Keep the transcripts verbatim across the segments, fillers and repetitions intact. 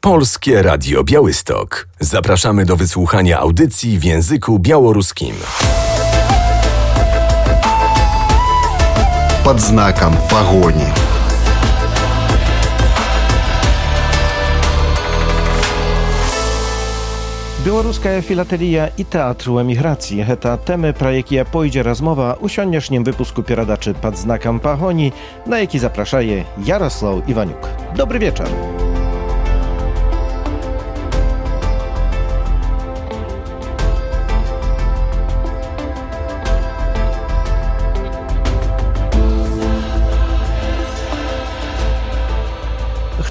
Polskie Radio Białystok. Zapraszamy do wysłuchania audycji w języku białoruskim. Под знаком погони. Białoruska filatelia i teatru emigracji. Heta temy, pra jakie pojdzie rozmowa u siądniesznim wypusku pieradaczy pod znakiem pagoni, na jaki zapraszaje Jarosław Iwaniuk. Dobry wieczór.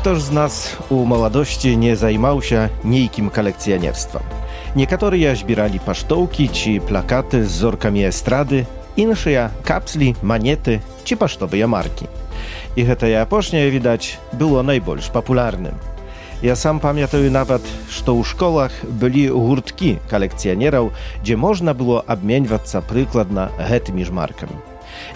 Ktoż z nas u młodości nie zajmał się niejkim kolekcjonerstwem. Niektórzy zbierali pasztołki czy plakaty z wzorkami estrady, insze kapsli, maniety czy pasztowe marki. I to japocznie widać było najbardziej popularnym. Ja sam pamiętam nawet, że u szkołach byli hurtki kolekcjonerów, gdzie można było obmieniać się przykładnie tymi markami.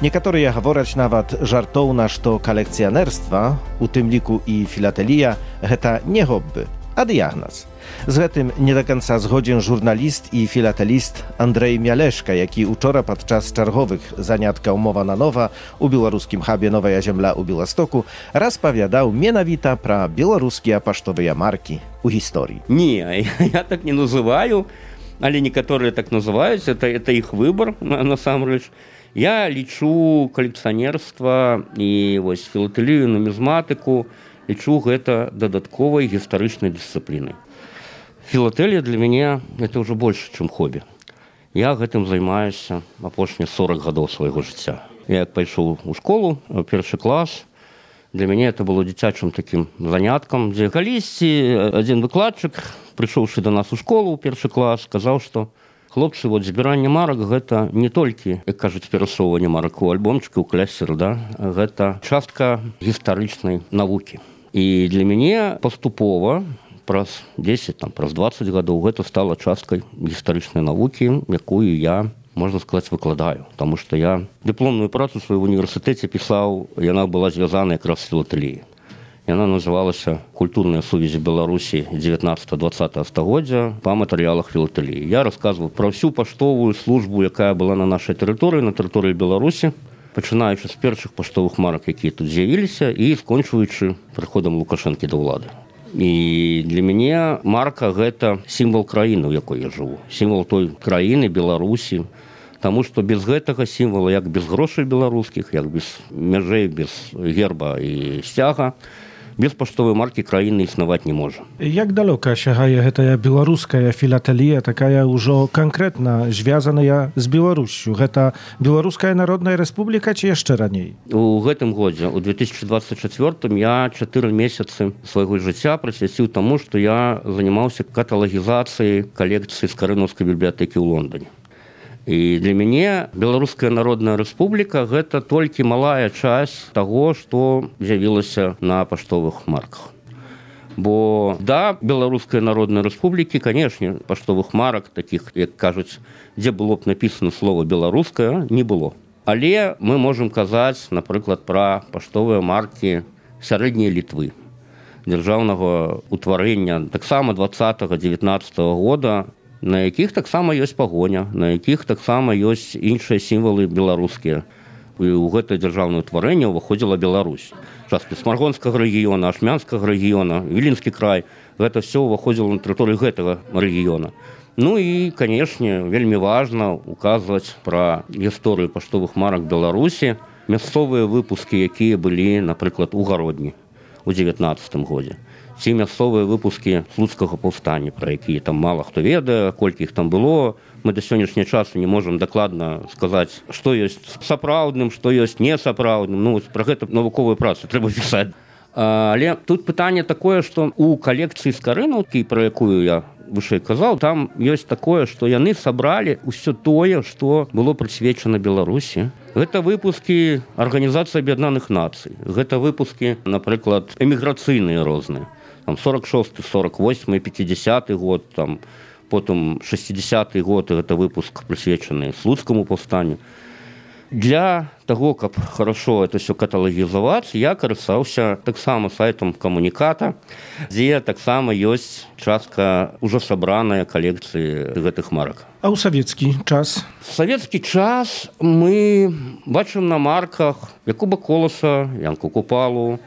Niektórzy говорять nawet żartownie, że kolekcjonerstwa, u tym liku i filatelia, to nie hobby, a diagnoz. Z tym nie do końca zgodził żurnalist i filatelist Andrzej Mialeszka, jaki wczoraj podczas czerwowych zaniatka Umowa na Nowa u białoruskim hubie Nowa Ziemia u Białegostoku rozpowiadał mianowita pra białoruskie pasztowe marki u historii. Nie, ja tak nie nazywаю, ale niektórzy tak nazywają, to, to ich wybór na, na samym rzecz. Я лічу калекцыянерства і вось філатэлію, нумізматыку, лічу гэта дадатковай гістарычнай дысцыплінай. Філатэлія для мяне это ўжо больш, чым хобі. Я гэтым займаюся апошнія сорок гадоў свайго жыцця. Я як пайшоў у школу, першы клас, для мяне это было дзіцячым такім заняткам, дзе калісьці адзін выкладчык, прыйшоўшы да нас у школу ў першы клас, сказаў, што хлопцы, вот збіранне марак гэта не толькі, як кажуць, перасоўванне марак у альбомчыку, у клясер, да? Гэта частка гістарычнай навукі. І для мяне паступова праз дзесяць, там, праз дваццаць гадоў гэта стала часткай гістарычнай навукі, якую я, можна сказаць, выкладаю. Таму што я дыпломную працу сваю в універсітэце пісаў, яна была звязана якраз з філатэліяй. Яна называлася «Культурная сувязь Беларусі дзевятнаццатага-дваццатага стагоддзя па матэрыялах філатэліі». Я расказваў пра всю паштовую службу, якая была на нашай тэрыторыі, на тэрыторыі Беларусі, пачынаючы з першых паштовых марак, якія тут з'явіліся, і скончваючы прыходам Лукашэнкі да ўлады. І для мяне марка – гэта сімвал краіны, у якой я жыву. Сімвал той краіны, Беларусі. Таму што без гэтага сімвала, як без грошай беларускіх, як без мяжэй, без герба і сцяга, без паштовай маркі краіны існаваць не можа. Jak daleka sięgaje ta białoruska filatelia, taka już konkretna, związana z Białorusią? Ta Białoruska Narodna Republika, czy jeszcze raniej? У гэтым годзе, у две тысячи двадцать четвёртым, я чатыры месяцы свайго жыцця прысвяціў таму, што я занимаўся каталагізацыяй калекцыі Скарынаўскай бібліятэкі ў Лондоне. І для мяне Беларуская Народная Рэспубліка гэта толькі малая часть таго, што з'явілася на паштовых марках. Бо да, Беларускай Народнай Рэспублікі, канешне, паштовых марак, такіх, як кажуць, дзе было б напісана слова «беларуская», не было. Але мы можам казаць, напрыклад, пра паштовыя маркі сярэдняй Літвы, дзяржаўнага ўтварэння таксама двадцатага-дзевятнаццатага года, на якіх таксама ёсць пагоня, на якіх таксама ёсць іншыя сімвалы беларускія. І ў гэтае дзяржаўнае ўтварэнне ўваходзіла Беларусь. Часткі Смаргонскага рэгіёна, Ашмянскага рэгіёна, Віленскі край, гэта ўсё ўваходзіла на тэрыторыі гэтага рэгіёна. Ну і, канешне, вельмі важна указваць пра гісторыю паштовых марак Беларусі, мясцовыя выпускі, якія былі, напрыклад, у Гародні ў дзевятнаццатым годзе. Ці мясцовыя выпускі слуцкага паўстання, пра якія там мала хто ведае, колькі іх там было. Мы да сённяшняга часу не можам дакладна сказаць, што ёсць сапраўдным, што ёсць несапраўдным. Ну, пра гэта навуковую працу трэба пісаць. Але тут пытанне такое, што у калекцыі Скарынаўкі, пра якую я вышэй казаў, там ёсць такое, што яны сабралі ўсё тое, што было прысвечана Беларусі. Гэта выпускі Арганізацыі Аб'яднаных Нацый. Гэта выпускі, напрыклад, эміграцыйныя розныя. Там сорок шосты, сорок восьмы, пятидесяты год, там, потым шестидесяты год, гэта выпуск прысвечаны слуцкаму паўстанню. Для того, каб хорошо это все каталагізаваць, я карыстаўся таксама сайтам камуніката, дзе таксама ёсць частка ўжо сабраная калекцыі гэтых марак. А ў савецкі час? Савецкі час мы бачым на марках Якуба Коласа, Янку Купалу,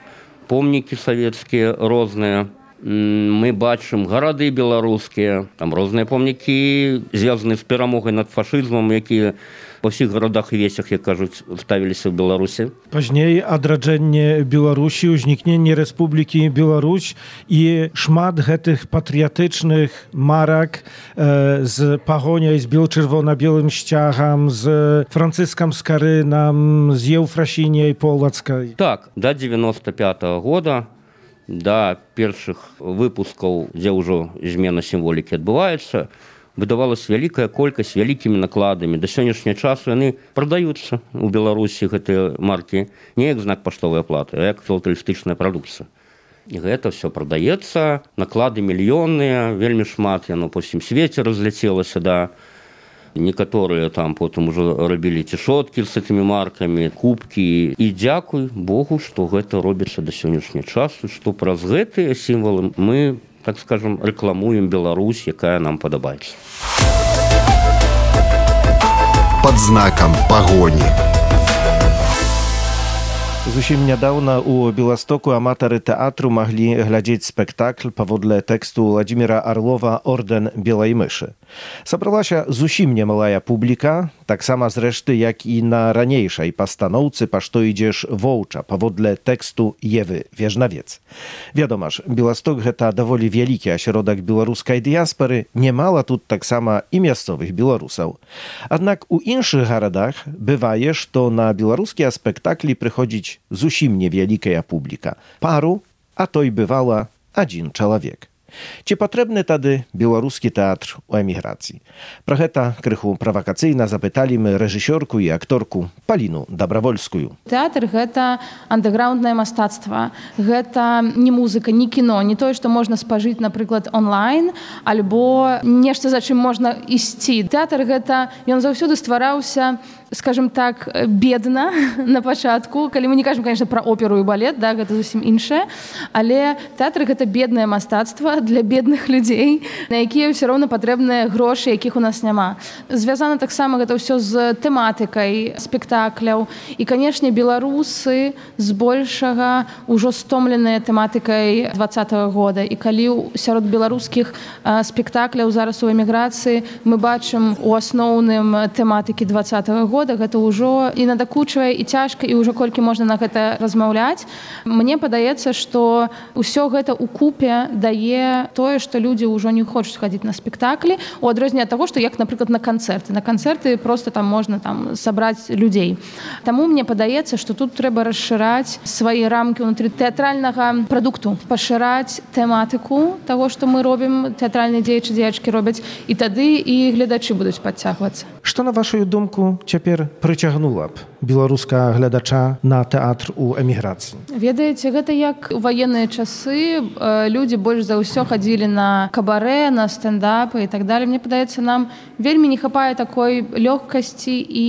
помнікі савецкія розныя. Мы бачым гарады беларускія, там розныя помнікі, звязаныя з перамогай над фашызмам, якія па ўсіх гарадах і весях, як кажуць, ставіліся ў Беларусі. Пазней адраджэнне Беларусі, узнікненне Рэспублікі Беларусь і шмат гэтых патрыятычных марак э, з пагоняй, з бел-чырвона-белым сцягам, з Францыскам Скарынам, з Еўфрасіняй Полацкай. Так, да дзевяноста пятага года, да першых выпускаў, дзе ўжо змена сімволікі адбываецца, выдавалась вялікая колькасць вялікімі накладамі. Да сённяшняга часу яны прадаюцца ў Беларусі, гэтыя маркі, не як знак паштовай аплаты, а як філатэлістычная прадукцыя. І гэта ўсё прадаецца, наклады мільённыя, вельмі шмат яно па ўсім свеце разляцелася, да. Некаторыя там потым ужо рабілі цішоткі з гэтымі маркамі, кубкі. І дзякуй Богу, што гэта робіцца да сённяшняга часу, што праз гэтыя сімвалы мы, так скажем, рекламуем Беларусь, якая нам падабаецца. Под знаком пагоні. Зусім нядаўна ў Беластоку аматары тэатру маглі глядзець спектакль паводле тэксту Владзіміра Арлова «Ордэн белай мышы». Сабралася зусім немалая публіка, таксама зрэшты, як і на ранейшай пастаноўцы «Па што ідзеш воўча» паводле тэксту Евы Вежнавец. Вядома ж, Беласток гэта даволі вялікі асяродак беларускай дыяспары, немала тут таксама і мясцовых беларусаў. Аднак у іншых гарадах бывае, што на беларускія спектаклі прыходзіць зусім невялікая публіка. Пару, а то і бывала адзін чалавек. Ці патрэбны тады беларускі тэатр у эміграцыі? Пра гэта крыху правакацыйна запыталі мы рэжысёрку і акторку Паліну Дабравольскую. Тэатр – гэта андэграўнднае мастацтва. Гэта не музыка, не кіно, не тое, што можна спажыць, напрыклад, онлайн, альбо нешта, за чым можна ісці. Тэатр – гэта, ён заўсёды ствараўся, скажем так, бедна на пачатку. Калі мы не кажам, конечно, пра оперу і балет, да, гэта зусім іншае, але тэатр – гэта беднае мастацтва для бедных людзей, на якія ўсё роўна патрэбныя грошы, якіх у нас няма. Звязана таксама гэта ўсё з тэматыкай спектакляў. І, канешне, беларусы збольшага ўжо стомленыя тэматыкай двадцатага года. І калі сярод беларускіх спектакляў зараз у эміграцыі мы бачым у асноўным тэматыкі двадцатага года, гэта ўжо і надакучвае, і цяжка, і ўжо колькі можна на гэта размаўляць. Мне падаецца, што ўсё гэта ўкупе дае тое, што людзі ўжо не хочуць хадзіць на спектаклі, у адрозненне ад таго, што як, напрыклад, на канцэрты. На канцэрты проста там можна там сабраць людзей. Таму мне падаецца, што тут трэба расшыраць свае рамкі ўнутры тэатральнага прадукту, пашыраць тэматыку таго, што мы робім, тэатральныя дзеячы, дзеячкі робяць, і тады і гледачы будуць падцягвацца. Што, на вашую думку, цяпер прыцягнула б беларускага гледача на тэатр у эміграцыі? Ведаеце, гэта як у ваенныя часы людзі больш за ўсё хадзілі на кабарэ, на стендапы і так далее. Мне падаецца, нам вельмі не хапае такой лёгкасці і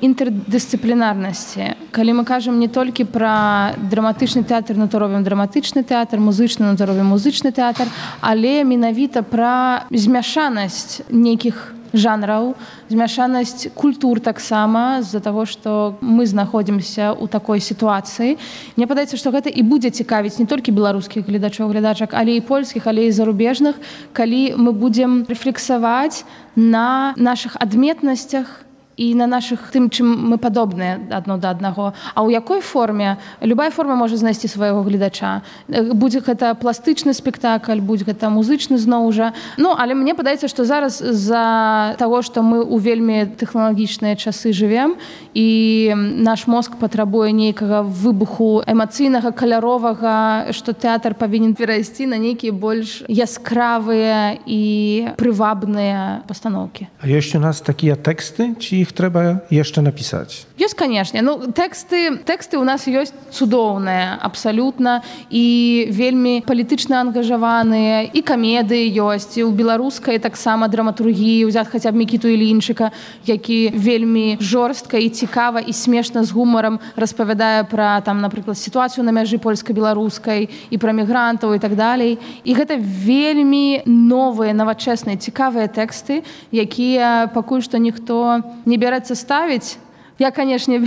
інтэрдысцыплінарнасці. Калі мы кажам не толькі пра драматычны тэатр, ну то робім драматычны тэатр, музычны, ну то робім музычны тэатр, але менавіта пра змяшанасць нейкіх жанраў, змяшанасць культур таксама з-за таго, што мы знаходзімся ў такой сітуацыі. Мне падаецца, што гэта і будзе цікавіць не толькі беларускіх гледачоў, гледачак, але і польскіх, але і зарубежных, калі мы будзем рэфлексаваць на нашых адметнасцях і на нашых тым, чым мы падобныя адно да аднаго. А ў якой форме? Любая форма можа знайсці свайго гледача. Будзе гэта пластычны спектакль, будзе гэта музычны зноў жа. Ну, але мне падаецца, што зараз з-за таго, што мы ў вельмі тэхналагічныя часы жывем, і наш мозг патрабуе нейкага выбуху эмацыйнага, каляровага, што тэатр павінен перайсці на нейкія больш яскравыя і прывабныя пастаноўкі. А ёсць у нас такія тэксты, ці іх іх трэба яшчэ напісаць? Ёсць, канешне. Ну, тэксты, тэксты ў нас ёсць цудоўныя, абсалютна, і вельмі палітычна ангажаваныя, і камедыі ёсць, і ў беларускай таксама драматургіі, ўзяць хаця б Мікіту Ілінчыка, які вельмі жорстка і цікава і смешна з гумарам распавядае пра, там, напрыклад, сітуацыю на мяжы польска-беларускай і пра мігрантаў і так далей. І гэта вельмі новыя, навачэсныя, цікавыя тэксты, якія пакуль што ніхто не бярэцца ставіць. Я, канешне,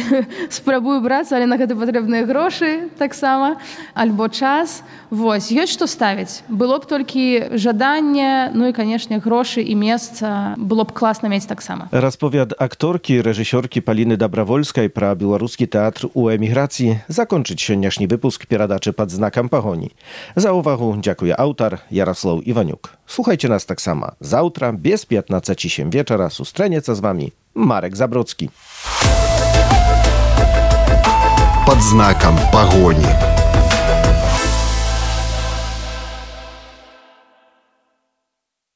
спрабую брацца, але на гэта патрэбныя грошы таксама, альбо час. Вось, ёсць што ставіць. Было б толькі жаданне, ну і, канешне, грошы і месца было б класна мець таксама. Расповяд акторкі, рэжысёркі Паліны Дабравольскай пра беларускі тэатр у эміграцыі закончыць сённяшні выпуск перадачы «Пад знакам пагоні». За ўвагу дзякуе аўтар Яраслаў Іванюк. Слухайце нас таксама. Заўтра без пятнадцаці сем вечара сустрэнецца з вамі Марек Забродскі. Под знаком погони.